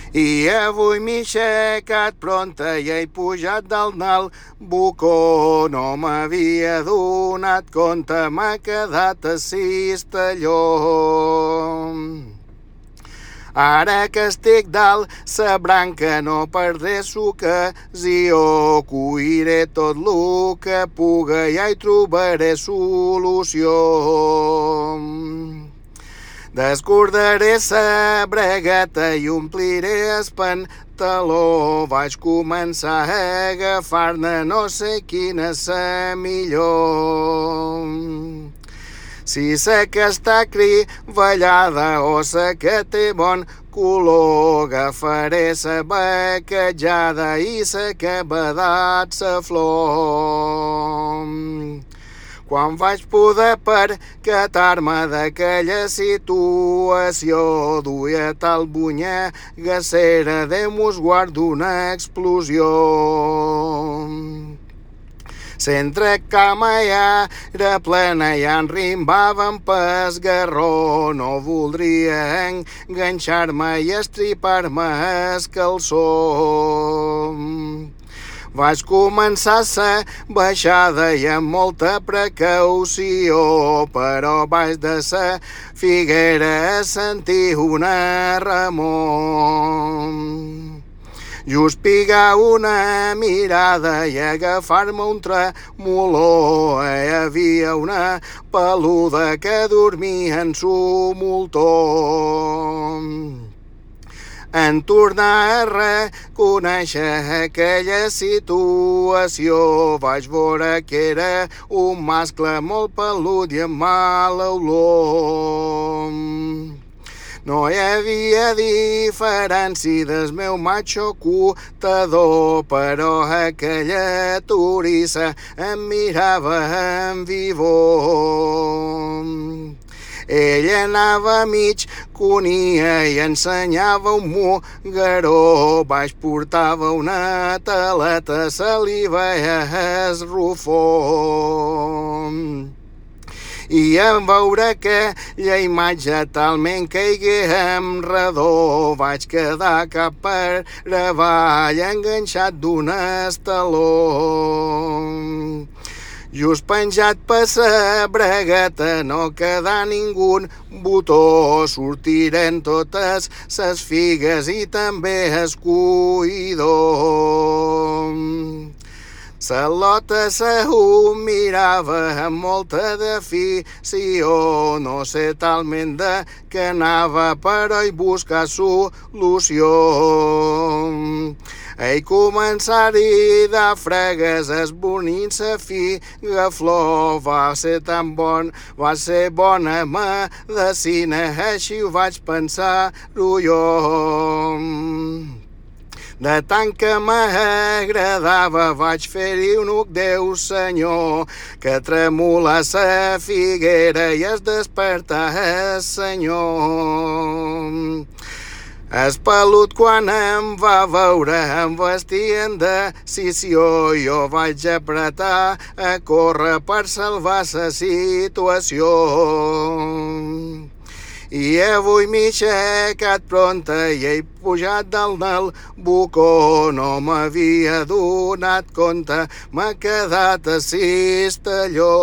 I avui m'he aixecat pronta i he pujat dalt del bucó. No m'havia donat compte, m'ha quedat a Cistelló. Ara que estic dalt sa branca no perdré l'ocasió, cuiré tot lo que puga i hi trobaré solució. Descordaré sa bragueta i ompliré el pantaló. Vaig començar a agafar-ne, no sé quina és la millor. Si sa que està crivellada o sa que té bon color, agafaré sa baquejada i sa que badat sa flor. Quan vaig poder percatar-me d'aquella situació, duia tal bunyegacera, Déu mos guarda una explosió. S'entre cama i era plena i enrimbava pes garró. No voldria enganxar-me i estripar-me el calçó. Vaig començar sa baixada i amb molta precaució, però baix de sa figuera sentir una remor. Just pigar una mirada i agafar-me un tremolor. Hi havia una peluda que dormia en su moltó. En tornar a reconèixer aquella situació, vaig veure que era un mascle molt pelut i amb mala olor. No hi havia diferència del meu macho cotador, però aquella turissa em mirava en vivor. Ella anava mig conia i ensenyava un mugaró. Baix portava una taleta, se li veia el rufó. I en veure aquella imatge talment caigué en redó, vaig quedar cap per avall enganxat d'un estaló. Just penjat per sa bragueta, no quedà ningú botó. Sortiren totes ses figues i també el cuidor. Sa lota se ho mirava amb molta d'afició. No sé talment de què anava, però hi buscar solució. Ei començar-hi de fregues esbornint sa figa flor. Va ser tan bon, va ser bona medecina, així ho vaig pensar-ho jo. De tant que m'agradava vaig fer-hi un uc, Déu senyor, que tremolà sa figuera i es despertà el senyor. El pelut quan em va veure em vestia en decisió. Jo vaig apretar a córrer per salvar sa situació. I avui m'he aixecat pronta i he pujat dalt del bucó. No m'havia donat compte, m'ha quedat a Cistelló.